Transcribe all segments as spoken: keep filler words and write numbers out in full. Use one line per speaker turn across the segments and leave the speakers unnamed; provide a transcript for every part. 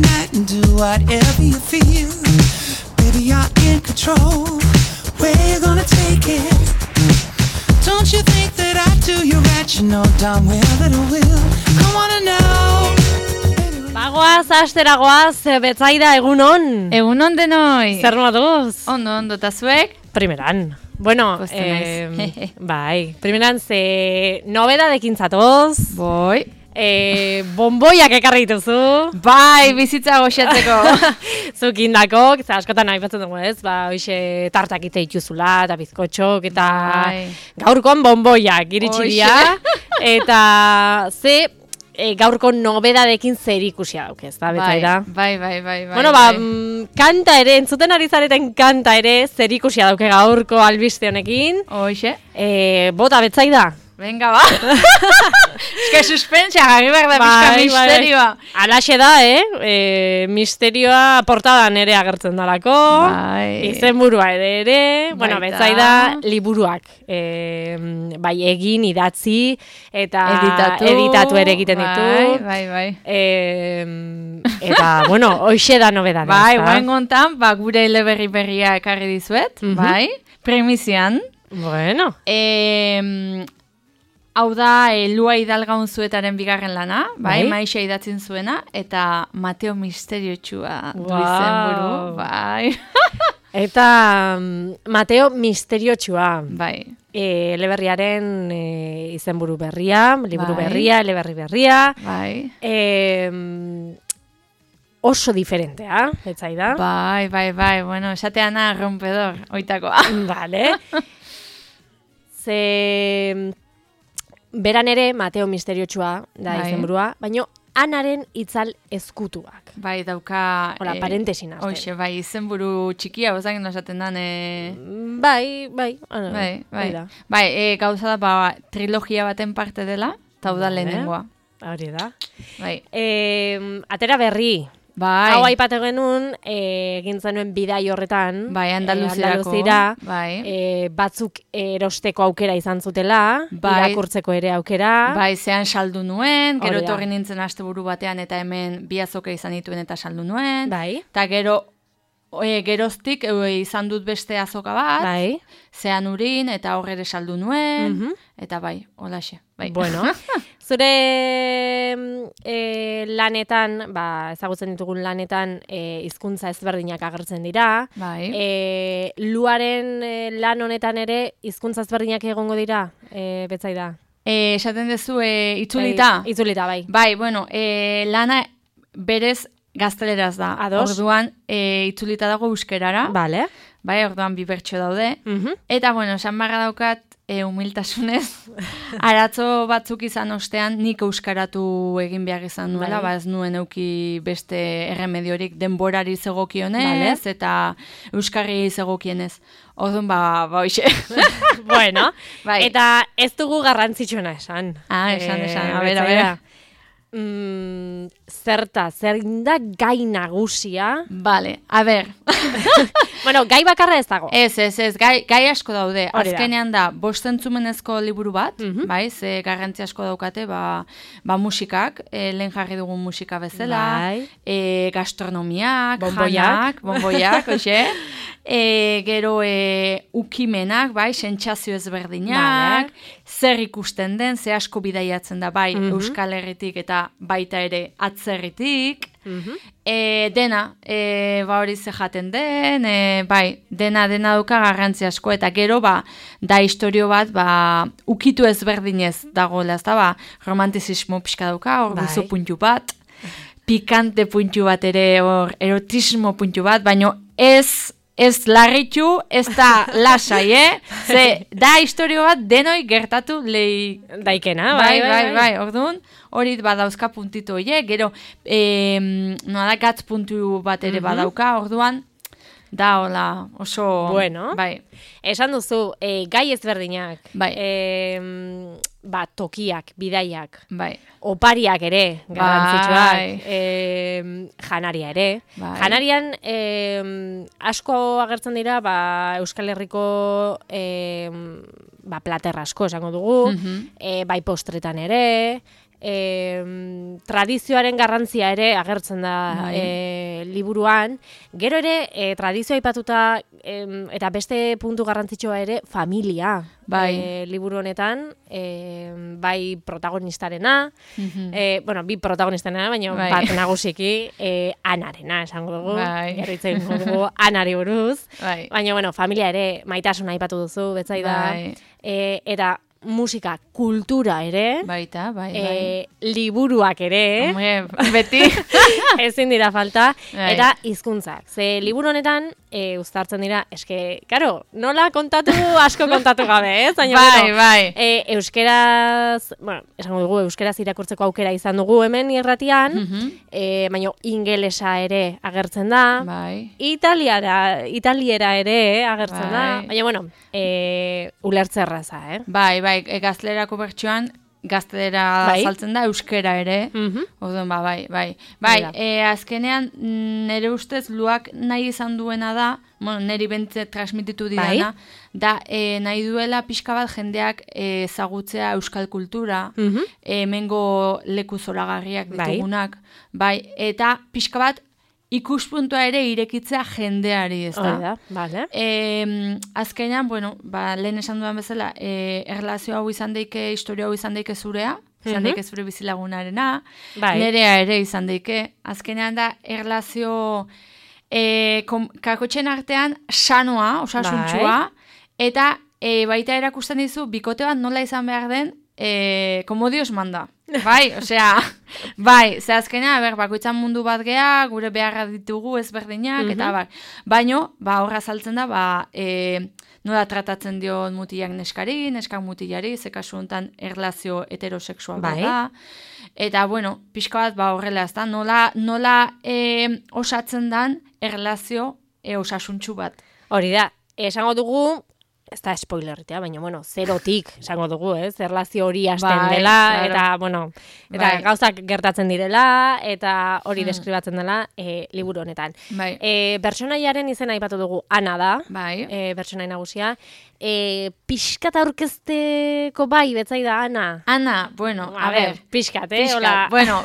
night and do whatever you feel. Baby, you're in control. Where you gonna take it? Don't you think that I do you right? You know darn well that I will. I wanna know.
Bagoaz, asteragoaz, Betsaida, egunon.
Egunon denoi.
Zer moduz?
Ondo, ondo, eta zuek?
Primeran. Bueno, eh, bai, primeran ze nobedadekin zatoz.
Boi.
Eh, bomboiak ekarri dituzu.
Bai, bizitza goxatzeko.
Zukindako, eta askotan aipatzen dugu ez, ba, hoxe tartak ite dituzula, eta bizkotxok, eta
bai.
Gaurkoan bomboiak iritsi dira. Eta ze e, gaurko nobedadekin zer ikusia dauk ez, da, Betsaida?
Bai, bai, bai, bai.
Bueno, ba, bai. Kanta ere, entzuten ari zareten kanta ere, zer ikusia dauke gaurko albiste honekin.
Hoxe.
E, bota, Betsaida.
Venga, ba. Eske suspensa, gari behar da pixka misterioa.
Alaxe da, eh? E, misterioa portadan ere agertzen dalako.
Bai.
Izenburua ere ere. Baita. Bueno, Betsaida liburuak. E, bai, egin, idatzi, eta
editatu,
editatu ere egiten ditu.
Bai, bai, bai.
E, eta, bueno, hoxe da nobedad.
Bai, guen gontan, ba, gure eleberri berria ekarri dizuet, mm-hmm. bai, premizian.
Bueno.
E, Hau da, e, Lua Hidalgaun zuetaren bigarren lana, bai, bai? Maixa idatzen zuena, eta Mateo Misteriotxua du wow. izenburu, bai.
Eta Mateo Misteriotxua.
Bai.
E, eleberriaren e, izenburu berria, liburu bai. berria, eleberri berria.
Bai.
E, oso diferentea, Betsaida.
Bai, bai, bai, bueno, esateana rompedor, oitakoa.
Vale. Ze... Beran ere, Mateo Misteriotxua da bai. izenburua, baina anaren itzal ezkutuak.
Bai, dauka...
Hola, e, parentesin arte.
Hoxe, bai, izenburu txikia, bozak esaten dan... E...
Bai, bai. Ano,
bai, bai. Bai, bai e, gauza da, ba, trilogia baten parte dela, eta da lehenengoa.
Hori da.
Bai.
E, atera berri.
Bai.
Hau aipatu genuen, egin zenuen bidai horretan.
Bai, Andaluzirako.
E,
bai.
E, batzuk erosteko aukera izan zutela,
bai.
irakurtzeko ere aukera.
Bai, zean saldu nuen, gero etorri nintzen asteburu batean, eta hemen bi azoka izan dituen eta saldu nuen.
Bai.
Eta gero, e, geroztik e, izan dut beste azoka bat,
bai.
zean urin, eta hor ere saldu nuen,
mm-hmm.
eta bai, holaxe. Bai.
Bueno, zure e, lanetan, ba, ezagutzen ditugun lanetan, e, hizkuntza ezberdinak agertzen dira.
Bai.
E, luaren e, lan honetan ere hizkuntza ezberdinak egongo dira, e, Betsaida?
E, esaten dezu, e, itzulita?
Bai, itzulita, bai.
Bai, bueno, e, lana berez gazteleraz da.
Ados.
Orduan, e, itzulita dago euskerara.
Vale.
Bai, orduan bi bertso daude.
Mm-hmm.
Eta, bueno, esan barra daukat, E, humiltasunez, aratzo batzuk izan ostean nik euskaratu egin behar izan nuela, bai. Ba ez nuen euki beste erremediorik denborari zegokionez, vale. Eta euskarri zegokienez. Orduan, ba, ba, hoxe.
Bueno,
bai.
Eta ez dugu garrantzitsuena esan.
Ah, esan,
e,
esan, a ber, a ber.
Mm, zerta, zer da gai nagusia?
Vale, a ber.
Bueno, gai bakarra ez dago.
Ez, ez, ez, gai, gai asko daude.
Hori
azkenean da, bostentzumenezko liburu bat,
mm-hmm.
bai, ze garrantzi asko daukate, ba, ba musikak, e, lehen jarri dugun musika bezala,
bai.
e, gastronomiak,
bomboiak,
janak, bomboiak, oxe, e, gero e, ukimenak, bai, sentsazio ezberdinak, vale. Zer ikusten den, ze asko bidaiatzen da, bai, mm-hmm. Euskal Herritik eta baita ere atzerritik, mm-hmm. e, dena, e, ba hori ze jaten den, e, bai, dena dena duka garrantzi asko, eta gero, ba, da historio bat, ba, ukitu ezberdinez dagoela, ez da, ba, romantizismo pixka dauka, hor bai. Guzu puntu bat, pikante puntu bat ere, hor erotismo puntu bat, baino ez... Ez larritu, ez da lasai, eh? Ze, da historio bat denoi gertatu lehi...
Daikena,
bai, bai, bai, bai, bai. Orduan, hori badauzka puntitu horiek, gero, eh, nola gatz puntu bat ere mm-hmm. badauka, orduan, da, hola, oso...
Bueno,
bai.
Esan duzu, e, gai ezberdinak,
bai.
E, ba, tokiak, bidaiak,
bai.
Opariak ere, garrantzitsuak,
bai.
e, janaria ere.
Bai.
Janarian e, asko agertzen dira, ba, Euskal Herriko e, ba, plater asko esango dugu, mm-hmm. e, bai postretan ere, e, tradizioaren garrantzia ere agertzen da e, liburuan. Gero ere, e, tradizioa aipatuta e, eta beste puntu garrantzitsua ere, familia.
Bai.
E, liburu honetan, e, bai protagonistarena,
Mhm.
e, bueno, bi protagonistarena, baina
Bai.
bat nagusiki, e, Anarena esango dugu,
Bai.
gerritzen dugu Anari buruz,
Bai.
baina, bueno, familia ere maitasuna aipatu duzu, betzaida,
Bai.
e, eta musika, kultura ere,
Baita, bai, bai.
e, liburuak ere,
Hombre, beti.
ezin dira falta,
Bai.
eta hizkuntzak. Ze liburu honetan, e, uztartzen dira, eske, karo, nola kontatu, asko kontatu gabe, ez? Baina,
Bai,
bueno,
bai.
e, euskeraz, bueno, esango dugu, euskeraz irakurtzeko aukera izan dugu hemen irratian,
Mhm.
e, baina ingelesa ere agertzen da,
Bai.
italiara, italiera ere agertzen da,
Bai.
baina, bueno, e, ulertze erraza, eh?
Bai, bai, e, gaztelerako bertsioan gaztelera
Bai.
saltzen da, euskera ere.
Mhm.
Orduan, ba, bai, bai. Bai,
Hala.
e, azkenean nire ustez luak nahi izan duena da, bueno, niri bentze transmititu didana, da e, nahi duela pixka bat jendeak e, ezagutzea euskal kultura,
Mhm.
e, hemengo leku zoragarriak
Bai.
ditugunak, bai, eta pixka bat ikuspuntua ere irekitzea jendeari, ez
Hori da, bale.
E, azkenean, bueno, ba, lehen esan dudan bezala, e, erlazio hau izan daike, historia hau izan daike zurea, izan
Mhm.
daike zure bizilagunarena,
Bai.
nerea ere izan daike. Azkenean da, erlazio e, kom, kakotxen artean sanoa, osasuntsua, eta e, baita erakusten dizu, bikote bat nola izan behar den, e, como Dios manda. Bai, osea, bai, ze azkenean, ber, bakoitzan mundu bat gea, gure beharra ditugu ezberdinak, eta bar. Baino, ba, horra saltzen da, ba, e, nola tratatzen dio mutilak neskari, neskak mutilari, ze kasu honetan erlazio heterosexual bat
Bai.
da. Eta, bueno, pixka bat, ba, horrela, ez da, nola, nola e, osatzen dan erlazio e, osasuntsu bat.
Hori da, esango dugu, ez da spoilerritea, baina, bueno, zerotik esango dugu, ez? Erlazio hori hasten
Bai,
dela,
claro.
eta, bueno, eta
Bai.
gauzak gertatzen direla, eta hori deskribatzen dela e, liburu honetan.
Bai,
E, Pertsonaiaren izena aipatu dugu, Ana da,
bai.
e, pertsonai nagusia. E, pixkat aurkezteko bai, betzai da, Ana.
Ana, bueno, a, ber,
pixkat, eh?
pixka,
Hola,
bueno,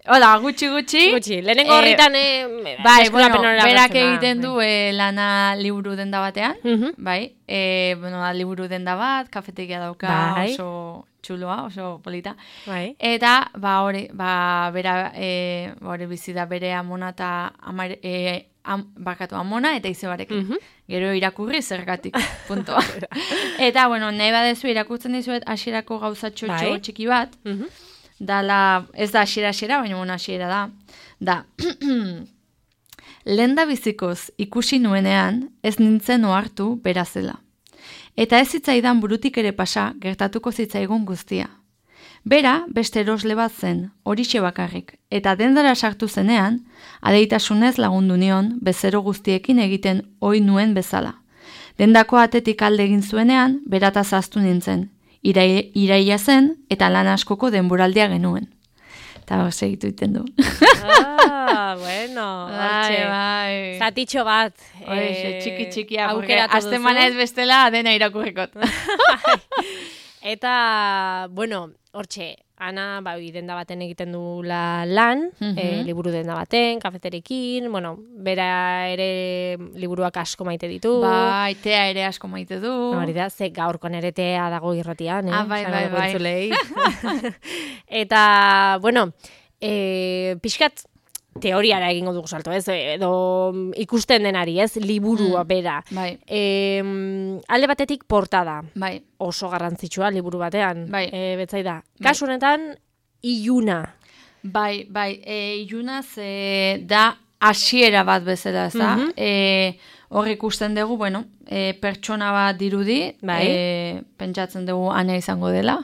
hola, gutxi gutxi.
gutxi. Lehenengo
Eh,
horritan, eh,
Bai, bueno,
deskribapen hori
berak
agertzen da.
egiten du eh, lana liburu denda batean,
Mhm.
bai, e, bueno, da, liburu denda bat, kafetegia dauka,
Bai.
oso txuloa, oso polita.
Bai.
Eta, ba, hori, ba, bera, e, ba, hori bizi da bere amona eta amare, e, am, bakatu amona eta izebarekin.
Mhm.
Gero irakurri zergatik, punto. Eta, bueno, nahi badezu irakurtzen dizuet hasierako gauzatxo
Bai.
txiki bat,
Mhm.
dala, ez da hasiera-hasiera, baina bueno, hasiera da. Da, lehen da bizikoz ikusi nuenean, ez nintzen ohartu bera zela. Eta ez zitzaidan burutik ere pasa, gertatuko zitzaigun guztia. Bera, beste erosle bat zen, horixe bakarrik, eta dendara sartu zenean, adeitasunez lagundu nion, bezero guztiekin egiten ohi nuen bezala. Dendako atetik alde egin zuenean, berata zaztu nintzen, Irai, iraia zen, eta lan askoko denboraldia genuen. Eta hor segitu iten du.
Ah, bueno, hortxe.
bai.
Zatitxo bat.
Hoxe,
eh,
txiki txikia,
aukeratu
azte
duzu.
manez bestela dena irakurrikot.
Eta, bueno, hortxe, Ana, ba, denda baten egiten dula lan,
Mhm.
eh, liburu denda baten, kafeterekin, bueno, bera ere liburuak asko maite ditu.
Bai, tea ere asko maite du.
Hori da, ze gaurkon ere tea dago irratian, eh?
Ah, bai,
Esango
bai,
dugu
bai.
entzulei. Eta, bueno, eh, pixkat teoriara egingo dugu salto, ez? Edo ikusten denari, ez? Liburua
Mm.
bera.
Bai,
E, alde batetik portada,
bai,
oso garrantzitsua liburu batean.
Bai.
E, betzai da.
Bai.
Kasu honetan, iluna.
bai, bai. E, ilunaz e, da hasiera bat bezala, ez da?
Mhm.
E, hor ikusten dugu, bueno, e, pertsona bat dirudi,
Bai.
e, pentsatzen dugu Ana izango dela.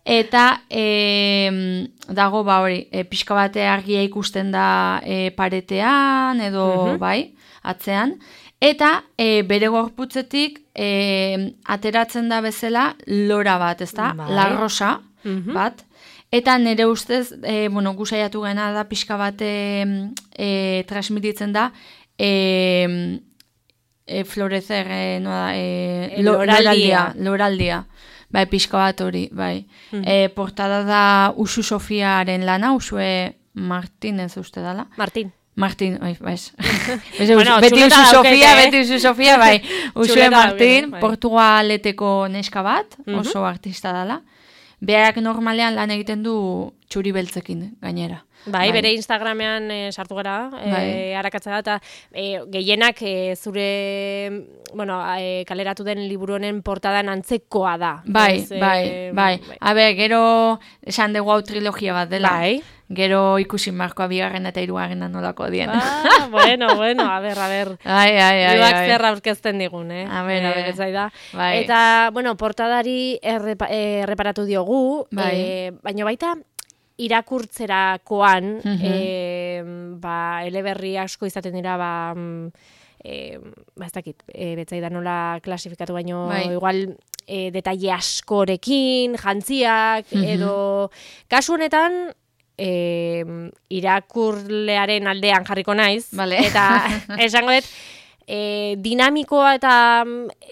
Eta e, dago, ba hori, e, pixka bate argia ikusten da e, paretean, edo,
Mhm.
bai, atzean. Eta e, bere gorputzetik e, ateratzen da bezala lora bat, ez da?
Bai.
La rosa
Mhm.
bat. Eta nire ustez, e, bueno, gusaiatu gena da pixka bat e, e, transmititzen da e, e, florecer, e, no da, e,
E,
lo-
loraldia.
loraldia, loraldia. Bai, pixka bat hori, bai. Mm. E, portada da Usu Sofiaren lana, Usue Martinez uste dala.
Martin.
Martin, oi, baiz. bueno, beti Usu Sofia, beti Usu Sofia, bai. Usue Martin, bai. Portugaleteko neska bat, oso mm-hmm. artista dala. Berak normalean lan egiten du txuri beltzekin gainera.
Bai, bai, bere Instagramean e, sartu gara, bai. e, arakatzea da, eta e, gehienak e, zure, bueno, e, kaleratu den liburu honen portadan antzekoa da.
Bai, ez, bai, e, bai, bai. Habe, gero esan dugu hau trilogia bat dela. Bai. Gero ikusi markoa bigarren eta hirugarrena nolako dien.
Ah, bueno, bueno, a ber, a ber.
Ai, ai, ai.
Iruak zer aurkezten digun, eh?
A ber, a ber.
Da.
Bai.
Eta, bueno, portadari errepa, erreparatu diogu, bai. e, baina baita irakurtzerakoan, mm-hmm. e, ba, eleberri asko izaten dira, ba, e, ba ez dakit, e, betzaidan nola klasifikatu baino, bai. Igual, e, detaile askorekin, jantziak, mm-hmm. edo, kasu honetan, E, irakurlearen aldean jarriko naiz, vale. Eta esango dut e, dinamikoa eta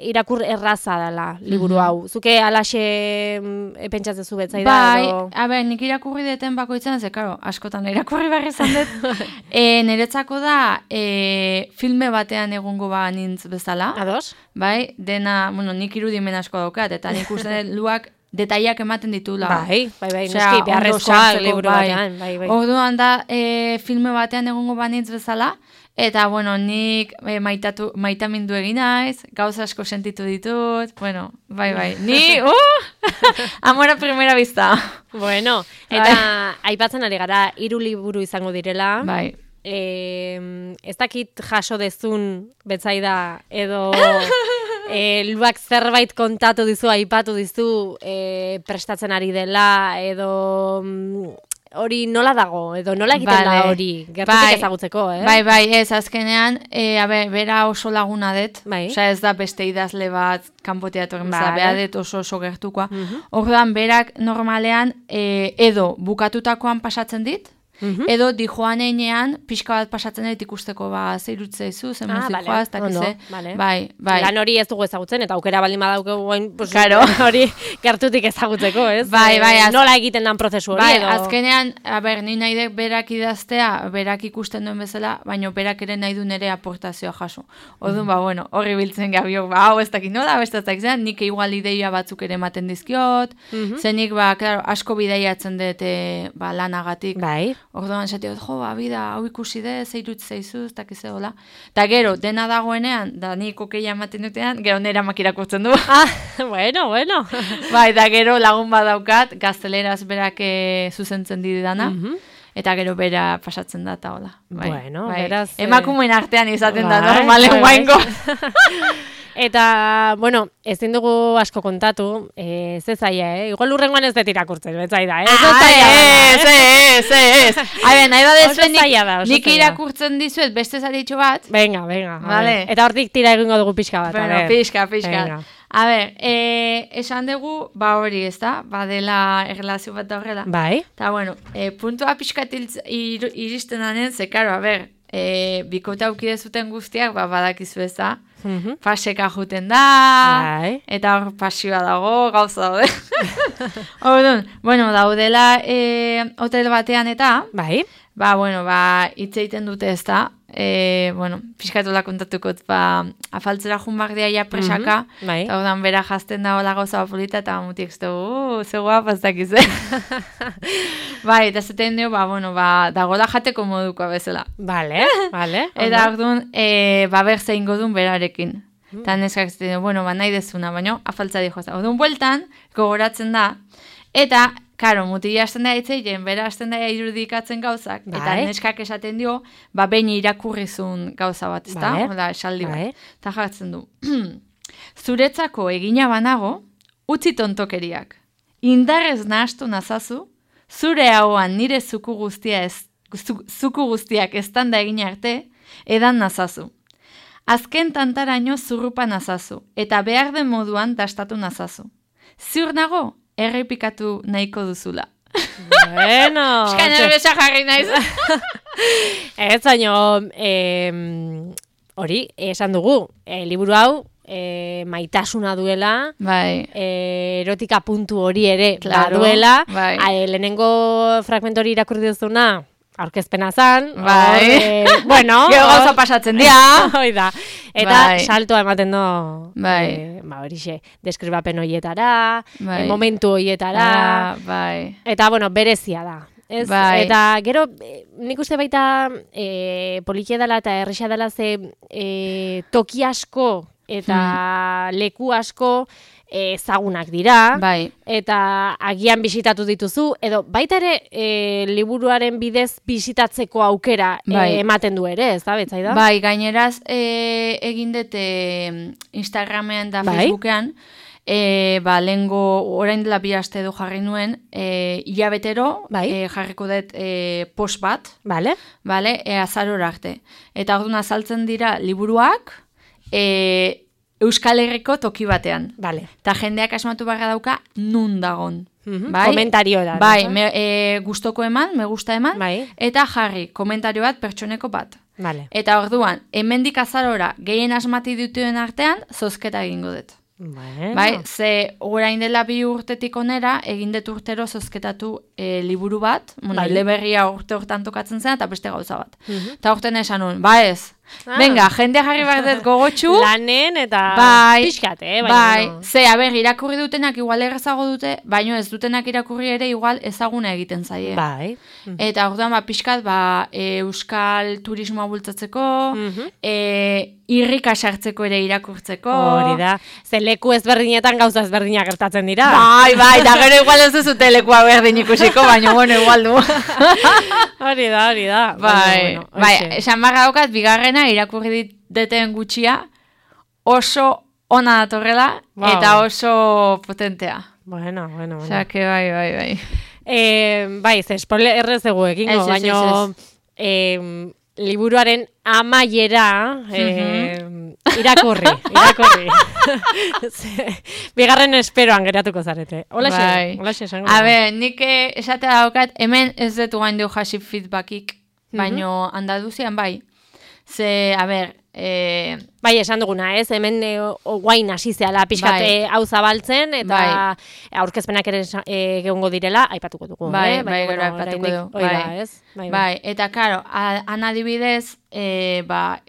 irakur erraza dela liburu mm-hmm. hau. Zuke alaxe e, pentsatzen zu betzai da?
Bai,
edo...
a ber, nik irakurri deten bakoitzan, ze, karo, askotan irakurri barri izan dut. e, niretzako da, e, filme batean egongo ba nintz bezala.
Ados?
Bai, dena, bueno, nik irudimen asko daukat, eta nik uste dut luak detaiak ematen ditula.
Bai, bai, bai, noski, beharrezkoa liburu batean. Bai, bai.
Orduan da, e, filme batean egongo banitz bezala, eta, bueno, nik e, maitatu, maitamindu egin naiz, gauza asko sentitu ditut, bueno, bai, bai, ni, uh! Amor a primera vista.
Bueno, eta bai. Aipatzen ari gara, hiru liburu izango direla.
Bai.
E, ez dakit jaso dezun betzaida, edo... E, luak zerbait kontatu dizu, aipatu dizu, e, prestatzen ari dela, edo hori mm, nola dago, edo nola egiten vale. Da hori, gertutik bai. Ezagutzeko, eh?
Bai, bai, ez, azkenean, e, abe, bera oso laguna det, bai. Osa ez da beste idazle bat kanpoteatu egin bezala, bera det oso oso gertukoa. Uh-huh. Orduan, berak normalean, e, edo bukatutakoan pasatzen dit, Mm-hmm. edo di joan einean, pixka bat pasatzen dut ikusteko ba, zeirutze izu, zen ah, vale. Joaz, eta kize, vale. Bai, bai.
Lan hori ez dugu ezagutzen, eta aukera baldin badauke guen, pues, claro. Hori gertutik ezagutzeko, ez?
Bai, bai. Az...
Nola egiten dan prozesu hori,
bai,
edo?
Azkenean, a ber, ni nahi dek berak idaztea, berak ikusten duen bezala, baina berak ere nahi du nere aportazioa jaso. Odun, mm. ba, bueno, horri biltzen gabiok, ba, hau ez dakit nola, beste ez dakit zen, nik igual ideia batzuk ere ematen dizkiot, mm-hmm. zenik, ba, claro, asko bidaiatzen dut, e, ba, lanagatik.
Bai.
Orduan, esatiot, jo, ba, bida, hau ikusi de, zeirut zeizu, ez dakiz egola. Ta gero, dena dagoenean, da nik okeia ematen dutean, gero nera makirakurtzen du.
Ah, bueno, bueno.
Bai, da gero lagun badaukat, gazteleraz berak e, zuzentzen didana. Mm-hmm. Eta gero bera pasatzen da, eta hola. Bai,
bueno,
bai.
Beraz...
Emakumeen artean izaten
bai,
da, normalen
bai,
guaingo.
Eta, bueno, ezin dugu asko kontatu, ez ez zaila, eh? Igual urrengoan ez dut irakurtzen, betzai da, eh?
Ah, ez, ez, ez, ez. Habe, nahi da nik irakurtzen dizuet beste zaritxo bat.
Venga, venga.
Vale.
Eta hortik tira egingo dugu pixka bat.
Bueno, pixka, pixka. A ber, eh, esan dugu, ba hori, ez da? Ba dela erlazio bat da horrela.
Bai.
Eta, bueno, eh, puntua pixka ir, iristen danen, ze, karo, a ber, eh, bikote aukide zuten guztiak, ba, badakizu ez da? Mm-hmm. Paseka juten da, bai. Eta hor pasioa dago, gauza daude. Orduan, bueno, daudela e, hotel batean eta,
bai.
Ba, bueno, ba, hitz egiten dute ez da, e, bueno, fiskatola kontatukot, ba, afaltzera junbak dia ja presaka, mm-hmm. Bai. Eta orduan bera jazten da hola gauza polita, eta mutik ez dugu, uh, ze guapa ez dakiz, eh? Bai, eta zaten dio, ba, bueno, ba, dagoela jateko modukoa bezala.
Vale, vale.
Eta orduan, e, ba, berze ingo duen berarekin. Mm. Eta neskak zaten dio, bueno, ba, nahi dezuna, baina afaltza dijo. Orduan, bueltan, gogoratzen da, eta, karo, mutila hasten da hitzeiten, bera hasten da irudikatzen gauzak, bai. Eta neskak esaten dio, ba, behin irakurrizun gauza bat, ezta? Bai. Oda, esaldi bat. Eta jartzen du, zuretzako egina banago, utzi tontokeriak. Indarrez nahastu nazazu, zure hauan nire zuku guztia ez, zuku guztiak estanda egin arte, edan nazazu. Azken tantaraino zurrupa nazazu, eta behar den moduan dastatu nazazu. Ziur nago, errepikatu nahiko duzula.
Bueno.
Eska nerbesa jarri naiz.
Ez, baino, hori, esan dugu, e, liburu hau, e, maitasuna duela,
bai.
e, erotika puntu hori ere
claro,
baduela,
bai.
A, lehenengo fragmento hori irakurri duzuna, aurkezpena zan,
bai.
E, bueno,
gero gauza pasatzen dira,
hoi da, eta
bai.
saltoa ematen do,
bai.
e, ba horixe, deskribapen horietara,
bai.
e, momentu horietara,
ah, bai.
eta bueno, berezia da. Ez,
bai.
Eta gero, nik uste baita e, politia dela eta erresa dela ze e, toki asko eta hmm. leku asko ezagunak dira,
bai.
eta agian bisitatu dituzu, edo baita ere e, liburuaren bidez bisitatzeko aukera
bai.
e, ematen du ere, ez da, betzai da?
Bai, gaineraz e, egin dute Instagramean da
bai.
Facebookean, e, ba, lehengo orain dela bi aste edo jarri nuen, e, hilabetero
bai.
e, jarriko dut e, post bat,
vale.
Vale, e, azarora arte. Eta orduan azaltzen dira liburuak, e, Euskal Herriko toki batean.
Vale.
Ta jendeak asmatu barra dauka nun dagon.
Mm-hmm.
Bai?
Komentario da.
Bai, me, e, gustoko eman, me gusta eman,
bai.
Eta jarri, komentario bat pertsoneko bat.
Vale.
Eta orduan, hemendik azarora gehien asmati dituen artean, zozketa egingo dut.
Bueno.
Bai, ze orain dela bi urtetik onera, egin dut urtero zozketatu e, liburu bat, bueno,
bai.
Eleberria urte hortan tokatzen zen, eta beste gauza bat.
Mm-hmm.
Eta urten esan nuen, ba ez, ah. Venga, jende jarri behar dut gogotxu.
Lanen eta
bai,
pixkat, eh?
Bai, bai. No. Ze, aber, irakurri dutenak igual errezago dute, baino ez dutenak irakurri ere igual ezaguna egiten zaie.
Bai.
Mm-hmm. Eta orduan, ba, pixkat, ba, e, euskal turismoa bultzatzeko, mm-hmm. e, irrika sartzeko ere irakurtzeko.
Hori da. Ze leku ezberdinetan gauza ezberdinak gertatzen dira.
Bai, bai, da gero igual ez duzute lekua berdin ikusiko, baina, bueno, igual du.
Hori da, hori da.
Bai,
bueno,
bai, esan barra daukat, bigarrena irakurri deten gutxia, oso ona datorrela, wow. Eta oso potentea.
Bueno, bueno, bueno.
Osea, que bai, bai, bai.
Eh, bai, ze spoiler errezegu egingo, baina eh, liburuaren amaiera eh, irakurri, irakurri. Bigarren esperoan geratuko zarete. Hola xe,
bai.
Hola xe, esango.
A ber, nik esatea daukat, hemen ez dut guain du hasi feedbackik, baino mm-hmm. Andaluzian bai. Ze, a ber, e...
bai, esan duguna, ez? Hemen e, guain hasi zehala pixkat bai. Hau zabaltzen, eta bai. Aurkezpenak ere egongo direla, aipatuko dugu.
Bai,
eh?
bai, gero aipatuko dugu.
Bai. Da, ez?
Bai, bai. Bai, eta karo, han adibidez, e, ba,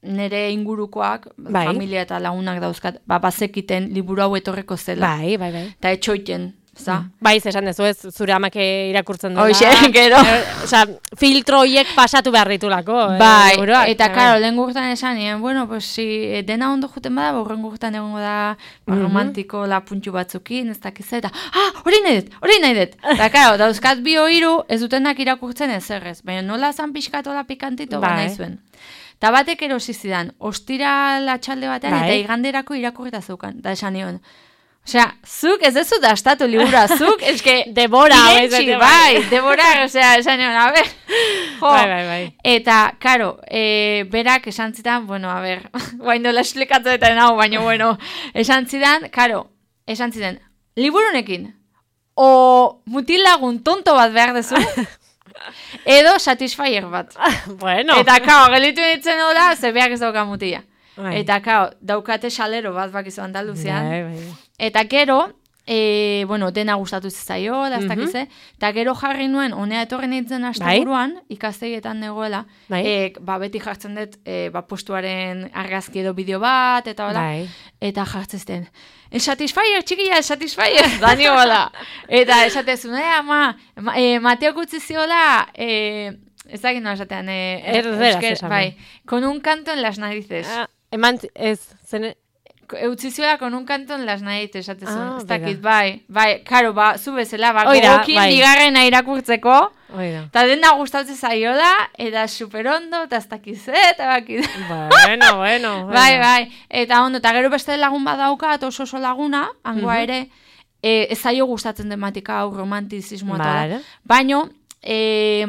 nere ingurukoak, bai. Familia eta lagunak dauzkat, ba, bazekiten liburu hau etorreko zela.
Bai, bai, bai.
Eta etxoiten. Mm.
Bai, esan dezu ez, zure amake irakurtzen duela.
Hoxe, gero.
Osa, filtro horiek pasatu behar ditulako.
Bai,
eh,
eta karo, lehen gurtan esan, nien, bueno, pues, si dena ondo juten bada, borren gurtan egongo da mm-hmm. romantiko la puntxu batzukin, ez dakiz, eta, ah, hori nahi dut, hori nahi dut. Eta karo, dauzkat bi hiru ez dutenak irakurtzen ez errez, baina nola zan pixkatola pikantito, bai. Nahi zuen. Eta batek erosi zidan, ostira latxalde batean, bai. Eta iganderako irakurrita zeukan, da esan nion. Osea, zuk ez dezu dastatu libura, zuk, eske,
debora,
irentxi, bai, debora, osea, esan egon, a ber, jo,
bai, bai, bai.
Eta, karo, e, berak esan zidan, bueno, a ber, guain dola esplikatu eta nau, baina, bueno, esan zidan, karo, esan zidan, liburunekin, o mutil lagun tonto bat behar dezu, edo satisfyer bat.
Bueno.
Eta, karo, gelitu ditzen hola, ze behar ez dauka mutila. Bai. Eta, kao, daukate salero bat bakizu Andaluzian. Bai, bai. Eta gero, e, bueno, dena gustatu zizaio, da ez mm-hmm. dakize, eta gero jarri nuen, honea etorren nintzen asteburuan, bai? Ikastegietan negoela, bai? e, ba, beti jartzen dut, e, ba, postuaren argazki edo bideo bat, eta hola, bai. Eta jartzen el satisfyer, txikia, el satisfyer, dani hola. Eta esatezun, eh, ama, ma, e, Mateo gutzi ziola, e, ez dakit nola esatean, e,
erderaz esan.
Bai, con un canto en las narices.
Ah. Eman, ez, zen...
Eutzizioa con un canto en las narices, esatezun. Ah, ez dakit, bai, bai, karo, ba, zu bezala, ba, gogokin bai. Bigarrena irakurtzeko, eta dena gustatzen zaiola, eta superondo, eta ez dakiz, eta bakit.
Bueno, bueno.
Bai, bai, eta ondo, eta gero beste lagun badauka, eta oso oso laguna, hangoa uh-huh. ere, e, ez zaio gustatzen tematika hau, romantizismoa vale. Tola, baino, e,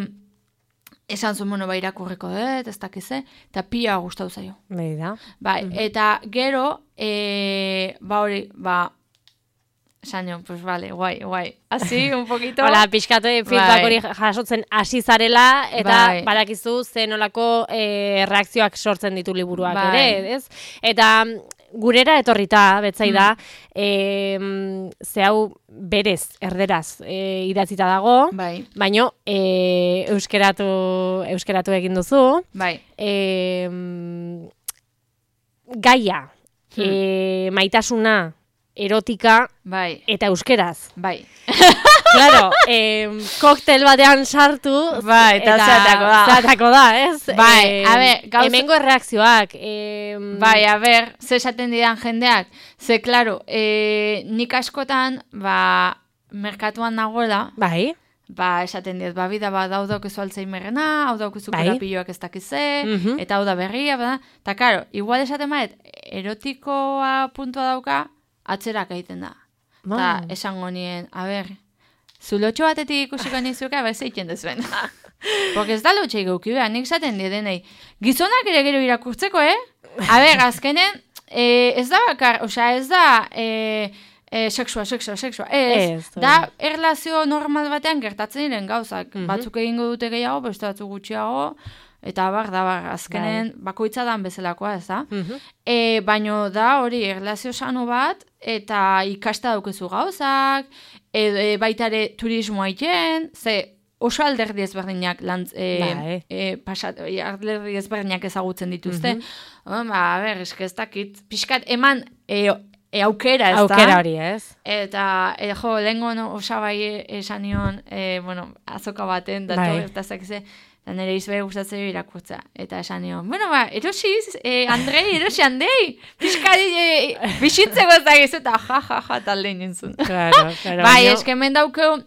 esan zuen, bueno, ba, irakurriko dut, ez dakize, eta pila gustatu zaio.
Bai da.
Bai, mm-hmm. Eta gero, e, ba hori, ba, esan jo, pues vale, guai, guai. Asi, un poquito.
Hola, pixkatu feedback hori jasotzen hasi zarela, eta bai. Badakizu zen olako e, reakzioak sortzen ditu liburuak bai. Ere, ez? Eta gurera etorrita, betzai da, mm. e, ze hau berez, erderaz, e, idatzita dago,
bai.
baino e, euskeratu, euskeratu egin duzu.
Bai.
E, gaia, hmm. e, maitasuna, erotika,
bai.
eta euskeraz.
Bai.
Claro, eh, koktel batean sartu,
bai, eta zatako da.
Zatako da, ez?
Bai,
eh,
a ber, gauza...
Hemengo erreakzioak. Eh,
bai, a ber, ze esaten didan jendeak. Ze, klaro, eh, nik askotan, ba, merkatuan nagoela.
Bai.
Ba, esaten diet, ba, bida, ba, hau daukezu alzheimerrena, hau daukezu
bai.
korapilloak ez dakize,
mm-hmm.
eta hau da berria, bada. Ta, klaro, igual esaten baet, erotikoa puntua dauka, atzerak egiten da.
Ba.
Ta, esango nien, a ber, zulotxo batetik ikusiko nizuka, ba, ez eiken dezuen. Porque ez da lotxeik euki behar, nik zaten diedenei. Gizonak ere gero irakurtzeko, eh? A ber, azkenen, eh, ez da bakar, osea, ez da eh, eh, sexua, sexua, sexua, ez. ez da, erlazio normal batean gertatzen diren gauzak. Mm-hmm. Batzuk egingo dute gehiago, beste batzuk gutxiago, eta bar, da, bar, azkenen, bai. Bakoitza dan bezalakoa, ez da? Mm-hmm. E, baino da, hori, erlazio sano bat, eta ikasta daukezu gauzak, e, e, baita ere turismoa iten, ze oso alderdi ezberdinak lantz, e, bai. e, pasat, e, alderdi ezberdinak ezagutzen dituzte. Mm-hmm. Ba, a ber, eske ez dakit, pixkat, eman e, e, aukera, ez da?
Aukera hori, ez?
Eta, e, jo, lehenko no, osabai esan nion, e, bueno, azoka baten, datu bai. Ez dakize, eta nire izbere gustatzen irakurtza. Eta esan nion, bueno, ba, erosiz, eh, Andrei, erosi handei, pixkari eh, bizitzeko ez dakiz, eta ja, ja, ja, talde nintzun.
Claro, claro.
Bai, no? Eske hemen daukeu,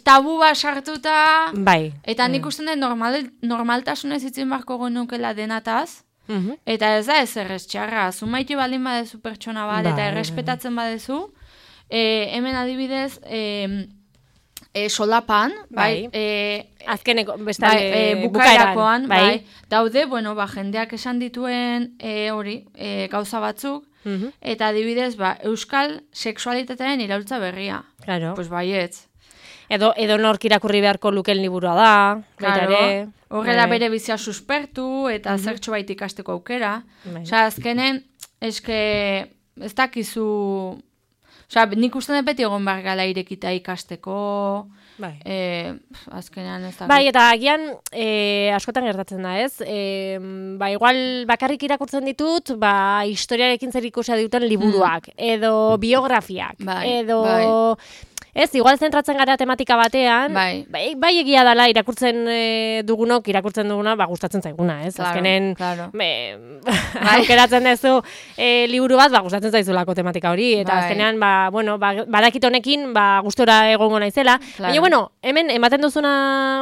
tabu bat sartuta,
bai.
Eta nik usten den normal, normaltasunez itzin barko genukela denataz,
mm-hmm.
eta ez da ez errez txarra, zumaiti baldin badezu pertsona bat, bai, eta errespetatzen badezu, eh, hemen adibidez, eh, E, solapan, bai, bai. E,
azkeneko, bestale,
bai, e, bukaerakoan, bai. bai, daude, bueno, ba, jendeak esan dituen e, hori, e, gauza batzuk, mm-hmm. eta adibidez, ba, euskal sexualitatearen iraultza berria.
Claro.
Pues baietz.
Edo, edo nork irakurri beharko luken liburua da, baita ere.
Horrela bere bizia suspertu, eta mm-hmm. zertxo bait ikasteko aukera. Bai. Osa, azkenen, eske, ez dakizu... Osa, nik uste dut beti egon behar gala irekita ikasteko, bai. E, azkenean ez da.
Bai, eta agian e, askotan gertatzen da, ez? E, ba, igual bakarrik irakurtzen ditut, ba, historiarekin zer ikusia duten liburuak, mm. edo biografiak, bai, edo... Bai. Ez, igual zentratzen gara tematika batean,
bai,
bai, bai egia dela irakurtzen e, dugunok, irakurtzen duguna, ba, gustatzen zaiguna, ez?
Claro,
azkenen,
claro.
Me, bai. aukeratzen dezu e, liburu bat, ba, gustatzen zaizulako tematika hori, eta bai. Azkenean, ba, bueno, ba, badakit honekin, ba, gustora egongo naizela, claro. Baina, bueno, hemen, ematen duzuna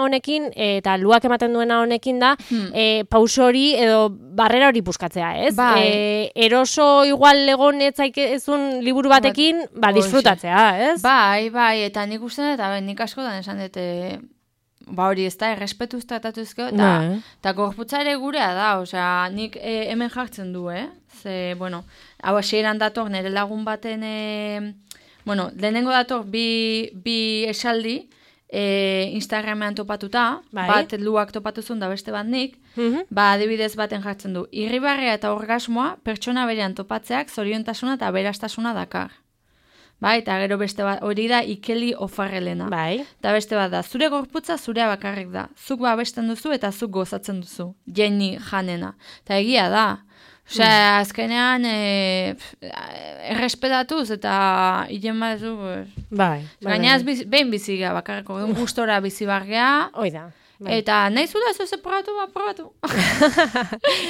honekin, eta luak ematen duena honekin da, hmm. e, pauso hori, edo barrera hori puskatzea, ez?
Bai.
E, eroso igual egon etzaikezun liburu batekin, ba, disfrutatzea, ez?
Bai, bai. Bai, eta nik uste dut, eta nik askotan esan dut, e, ba hori ez da, errespetuz tratatuzko, eta no. Gorputza ere gurea da, osea, nik e, hemen jartzen du, eh? Ze, bueno, hau hasieran dator nire lagun baten, e, bueno, lehenengo dator bi, bi esaldi, e, Instagramean topatuta, bai. Bat luak topatuzun da beste bat nik, mm-hmm. ba adibidez baten jartzen du, irribarrea eta orgasmoa pertsona berean topatzeak zoriontasuna eta berastasuna dakar. Bai, eta gero beste bat, hori da Ikeli Ofarrelena.
Bai.
Eta beste bat da, zure gorputza zurea bakarrik da. Zuk babesten duzu eta zuk gozatzen duzu. Jenny Janena. Eta egia da. Osea, mm. azkenean, e, errespetatuz eta hilen bat zu.
Bai.
Gaina ez biz, behin bizigea bakarriko, gustora bizi bargea.
Hoi da. Bai.
Eta nahi zula ez ez probatu, ba, probatu.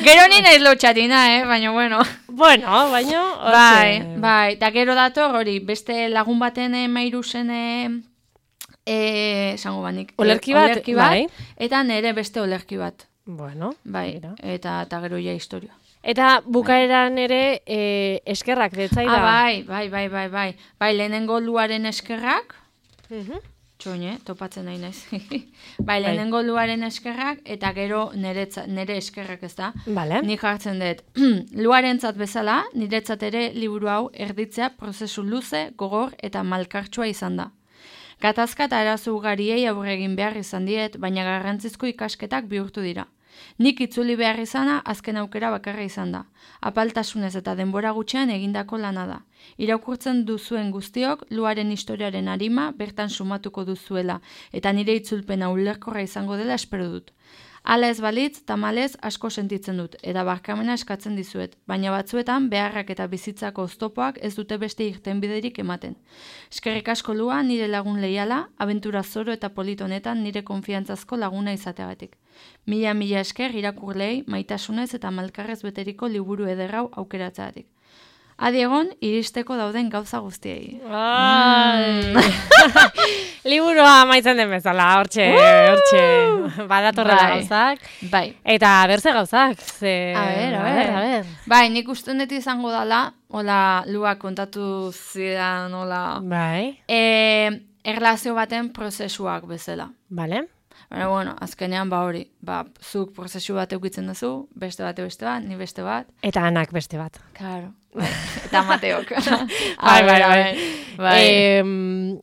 Gero ni nahi lotxatina, eh? Baina, bueno.
Bueno, baina...
Bai, bai. Eta gero dator, hori, beste lagun baten mairuzen, esango e, banik.
Olerki bat,
olerki bat bai. Eta nere beste olerki bat.
Bueno.
Bai, eta, eta gero ja historia.
Eta bukaeran ere e, eskerrak detzai da.
Ah, bai, bai, bai, bai, bai. Bai, lehenengo luaren eskerrak. Mhm. Txoine, topatzen nahi naiz. Bai, lehenengo luaren eskerrak, eta gero nere, nere eskerrak ez da.
Vale.
Nik hartzen dut. Luarentzat bezala, niretzat ere liburu hau erditzea prozesu luze, gogor eta malkartsua izan da. Gatazka eta arazo ugariei aurre egin behar izan diet, baina garrantzizko ikasketak bihurtu dira. Nik itzuli behar izana azken aukera bakarra izan da. Apaltasunez eta denbora gutxean egindako lana da. Irakurtzen duzuen guztiok, luaren historiaren arima bertan sumatuko duzuela, eta nire itzulpena ulerkorra izango dela espero dut. Hala ez balitz, tamalez asko sentitzen dut, eta barkamena eskatzen dizuet, baina batzuetan beharrak eta bizitzako oztopoak ez dute beste irtenbiderik ematen. Eskerrik asko Lua, nire lagun leiala, abentura zoro eta polit honetan nire konfiantzazko laguna izateagatik. Mila mila esker irakurlei, maitasunez eta malkarrez beteriko liburu ederrau aukeratzeagatik. Adi egon, iristeko dauden gauza guztiei.
Mm. Liburua amaitzen den bezala, hortxe, hortxe. Badatorrela
bai.
gauzak.
Bai.
Eta berze gauzak. Ze...
A ber, a ber, a ber. Bai, nik uste dut izango dala, hola, Lua kontatu zidan, hola.
Bai.
E, erlazio baten prozesuak bezala.
Bale.
Baina, bueno, azkenean ba hori, ba, zuk prozesu bat eukitzen duzu, beste bat beste bat, ni beste bat.
Eta anak beste bat.
Claro. Bai. Eta Mateok.
bai, bai, bai.
bai.
E,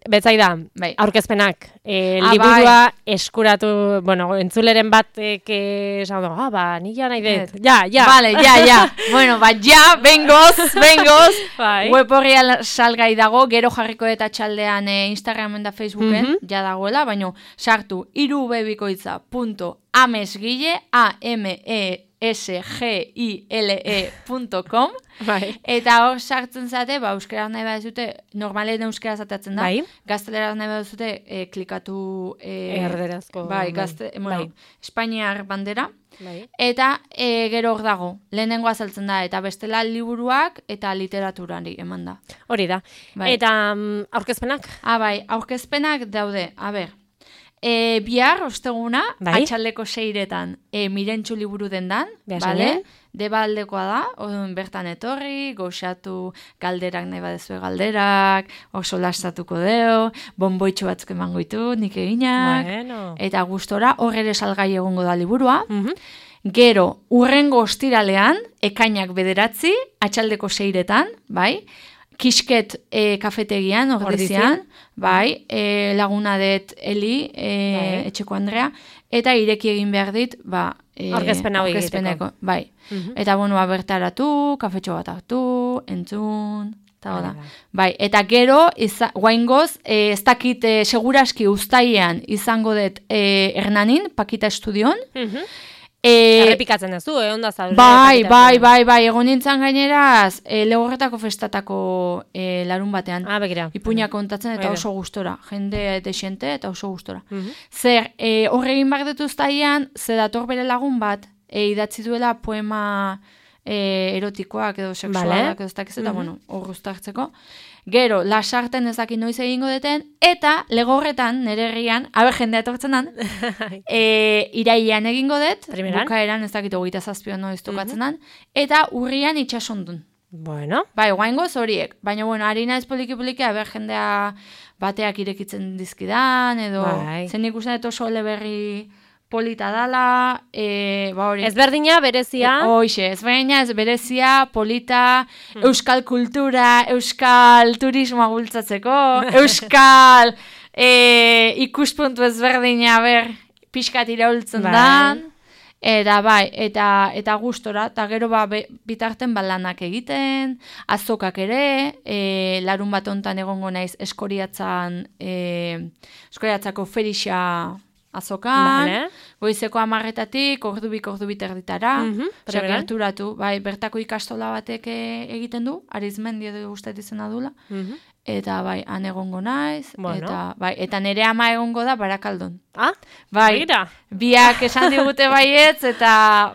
betzaida,
bai.
aurkezpenak. E,
ah,
liburua
bai.
eskuratu, bueno, entzuleren batek esan du, ah, ba, ni ja nahi dut. Ja, ja.
Vale, ja, ja. bueno, ba, ja, bengoz, bengoz.
bai.
Web horria salgai dago, gero jarriko eta txaldean e, Instagramen da Facebooken, mm -hmm. ja dagoela, baina sartu irubebikoitza punto amesgile, A M E S G I L E punto com
bai.
Eta hor sartzen zate, ba, euskera nahi baduzute, normalen euskera zatatzen da,
bai.
gaztelera nahi baduzute, e, klikatu... E,
erderazko.
Bai, gazte, bai. Bueno, Espainiar bandera.
Bai.
Eta e, gero hor dago, lehenengo azaltzen da, eta bestela liburuak eta literaturari eman da.
Hori da.
Bai.
Eta um, aurkezpenak?
Ah, bai, aurkezpenak daude, a ber, e, bihar, osteguna,
bai.
atxaldeko seiretan, e, Mirentxu liburu dendan,
Behasen,
bale? Deba aldekoa da, odun bertan etorri, goxatu galderak nahi badezue galderak, oso lastatuko deo, bonboitxo batzuk emango ditu, nik eginak,
bueno.
eta gustora, hor ere salgai egongo da liburua.
Mm -hmm.
Gero, urrengo ostiralean, ekainak bederatzi, atxaldeko seiretan, bai, Kisket e, kafetegian, ordizian, bai, e, laguna det Eli, e, bai. Etxeko Andrea, eta ireki egin behar dit, ba, e,
aurkezpena hori egiteko.
Bai, mm-hmm. Eta bueno, bertaratu, kafetxo bat hartu, entzun, eta hola. Bai, eta gero, guaingoz, e, ez dakit e, seguraski uztailean izango dut e, Hernanin, Pakita Estudion, mm-hmm. E,
errepikatzen duzu, eh, onda zaudre.
Bai, bai, bai, bai, egon nintzen gaineraz, e, legorretako festatako e, larun batean.
Ah, begira.
Ipuña kontatzen eta oso gustora, jende desente eta oso gustora. Mm-hmm. Zer, e, horregin bak dut uztailean, ze dator bere lagun bat, e, idatzi duela poema e, erotikoak edo seksualak vale. Edo ez dakiz eta, mm-hmm. bueno, hor guztartzeko. Gero, lasarten ezakin noiz egingo deten, eta legorretan, nire herrian, haber jendea etortzen dan, e, irailean egingo dut, bukaeran ezakit hogeita zazpion noiz tokatzen dan, eta urrian itxasondun.
Bueno.
Bai, guaingoz horiek, baina, bueno, harina ez poliki-poliki, haber jendea bateak irekitzen dizkidan, edo, bai. Zen ikusten dut oso eleberri polita dala, e, ba hori.
Ezberdina, berezia.
E, Hoxe, ezberdina, ez berezia, polita, hmm. euskal kultura, euskal turismoa bultzatzeko, euskal e, ikuspuntu ezberdina, ber, pixkat iraultzen bai. Dan, eta bai, eta, eta gustora, eta gero ba, be, bitarten balanak egiten, azokak ere, e, larun bat ontan egongo naiz eskoriatzan, e, eskoriatzako ferixa, azokan, vale. Goizeko amarretatik, ordubik, ordubit erditara, mm-hmm, gerturatu, bai, bertako ikastola batek egiten du, Arizmendi edo guztat izena dula, mm-hmm. Eta bai, han egongo naiz, bueno. eta, bai, eta nire ama egongo da Barakaldon.
Ah,
bai, mira. Biak esan digute baietz, eta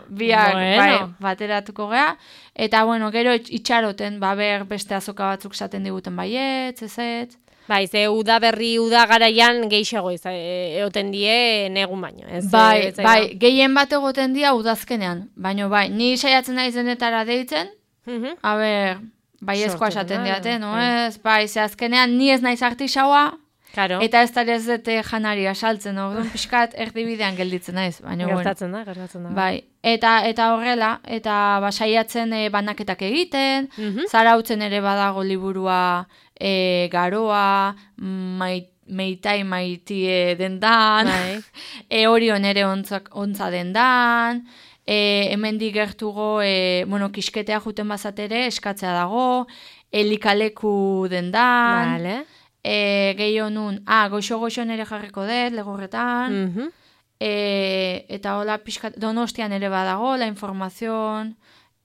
biak
bueno.
bai, bateratuko gea, eta bueno, gero itxaroten, ba, ber beste azoka batzuk esaten diguten baietz, ezet,
bai, ze uda berri, uda garaian geixago egoten die negun baino. Ez,
bai,
ez,
bai, gehien bat egoten dia udazkenean. Baina bai, ni saiatzen naiz denetara deitzen, mm-hmm. a ber, bai ezkoa esaten diate, no ez? Bai, ze azkenean ni ez naiz artisaua, claro. Eta ez da ez dute janaria saltzen, orduan pixkat erdibidean gelditzen naiz. Baina,
gertatzen da, gertatzen da.
Bai, eta, eta horrela, eta ba, saiatzen e, banaketak egiten, mm-hmm. zarautzen ere badago liburua, E, garoa, mait, meitai maitie dendan,
bai.
e, Orion ere ontzak, ontza dendan, e, hemendik gertugo, e, bueno, kisketea juten bazatere, eskatzea dago, elikaleku dendan,
Vale.
e, gehiago nun, ah, goxo-goxo nere jarriko dut, legorretan,
Mhm.
e, eta hola pixkat, Donostian ere badago, la informazion,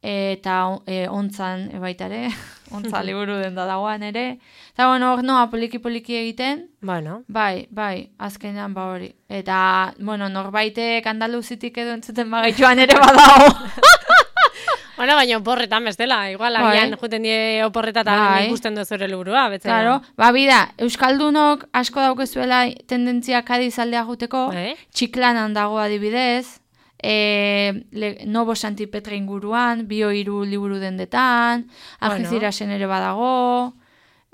eta e, ontzan ebaitare, ontza liburu den da dagoan ere. Eta bueno, hor noa poliki-poliki egiten,
Bueno.
bai, bai, azkenean ba hori. Eta, bueno, norbaitek Andaluzitik edo entzuten bagaituan ere badago.
Bueno, baina oporretan bestela, igual
Bai.
agian juten die oporretatan
Bai.
ikusten du zure liburua, betzea.
Claro, ba, bida, Euskaldunok asko daukezuela tendentzia Kadiz aldea juteko,
Bai.
Txiklanan dago adibidez, e, le, Nobo Santi Petra inguruan, bio hiru liburu dendetan, Algecirasen ere badago,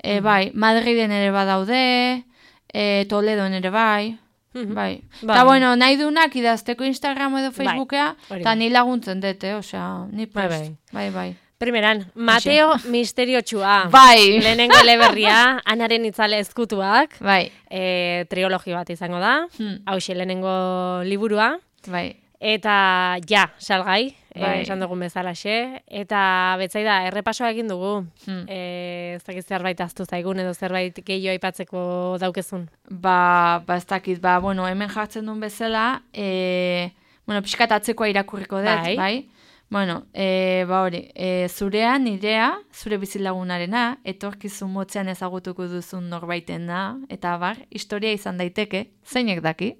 e, bai, Madriden ere badaude, e, Toledon ere bai,
Mhm.
bai.
Bai.
Eta bueno, nahi dunak idazteko Instagram edo Facebookea,
hori
eta
da.
ni laguntzen dute, osea, ni
Bai,
prest.
bai.
Bai, bai.
Primeran, Mateo Misteriotxua.
Bai.
Lehenengo eleberria, Anaren itzale ezkutuak,
Bai.
e, trilogi bat izango da,
Hmm.
hauxe lehenengo liburua,
Bai.
eta ja, salgai,
Bai.
e, esan dugun bezalaxe, eta betzaida, errepasoa egin dugu,
Hmm.
e, ez dakit zerbait aztu zaigun edo zerbait gehiago aipatzeko daukezun.
Ba, ba ez dakit, ba, bueno, hemen jartzen duen bezala, e, bueno, pixkat atzekoa irakurriko dut,
Bai.
bai? Bueno, e, ba hori, e, zurea, nirea, zure bizilagunarena, etorkizun motzean ezagutuko duzun norbaitena, eta bar, historia izan daiteke, zeinek daki.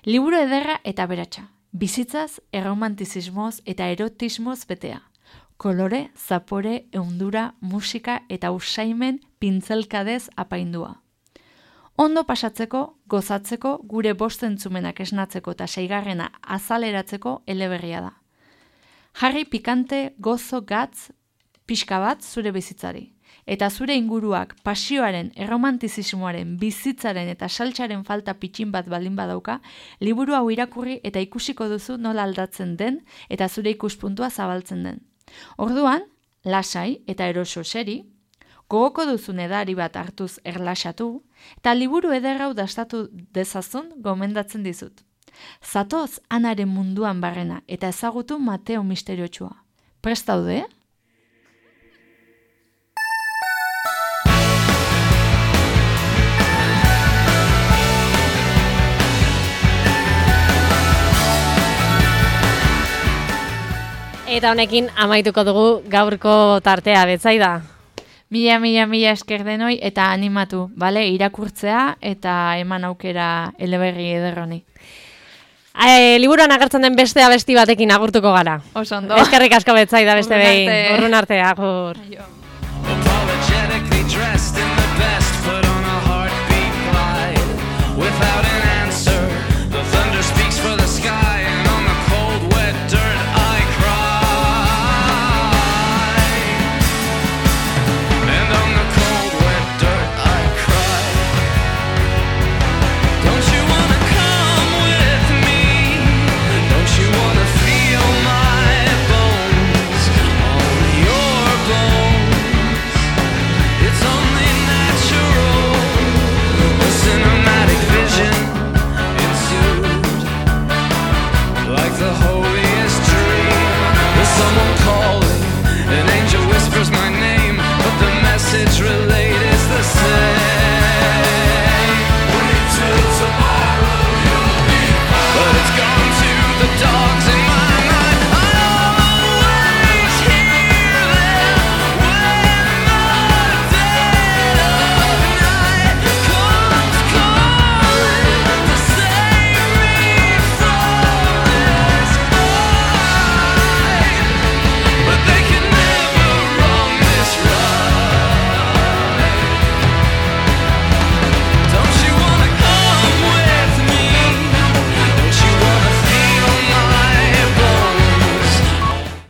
Liburu ederra eta beratxa, bizitzaz, erromantizismoz eta erotismoz betea. Kolore, zapore, eundura, musika eta usaimen pintzelkadez apaindua. Ondo pasatzeko, gozatzeko, gure bost entzumenak esnatzeko eta seigarrena azaleratzeko eleberria da. Jarri pikante, gozo, gatz, pixka bat zure bizitzari. Eta zure inguruak pasioaren, erromantizismoaren, bizitzaren eta saltsaren falta pitxin bat baldin badauka, liburu hau irakurri eta ikusiko duzu nola aldatzen den eta zure ikuspuntua zabaltzen den. Orduan, lasai eta eroso seri, gogoko duzun edari bat hartuz erlaxatu, eta liburu ederrau dastatu dezazun gomendatzen dizut. Zatoz Anaren munduan barrena eta ezagutu Mateo Misteriotxua. Prest daude?
Eta honekin amaituko dugu gaurko tartea, betzaida.
Mila, mila, mila esker denoi eta animatu, bale, irakurtzea eta eman aukera eleberri ederroni.
E, liburuan agertzen den beste abesti batekin agurtuko gara.
Oso ondo.
Eskerrik asko betzaida beste
Urrun
behin.
arte.
Urrun arte, agur.
Aio.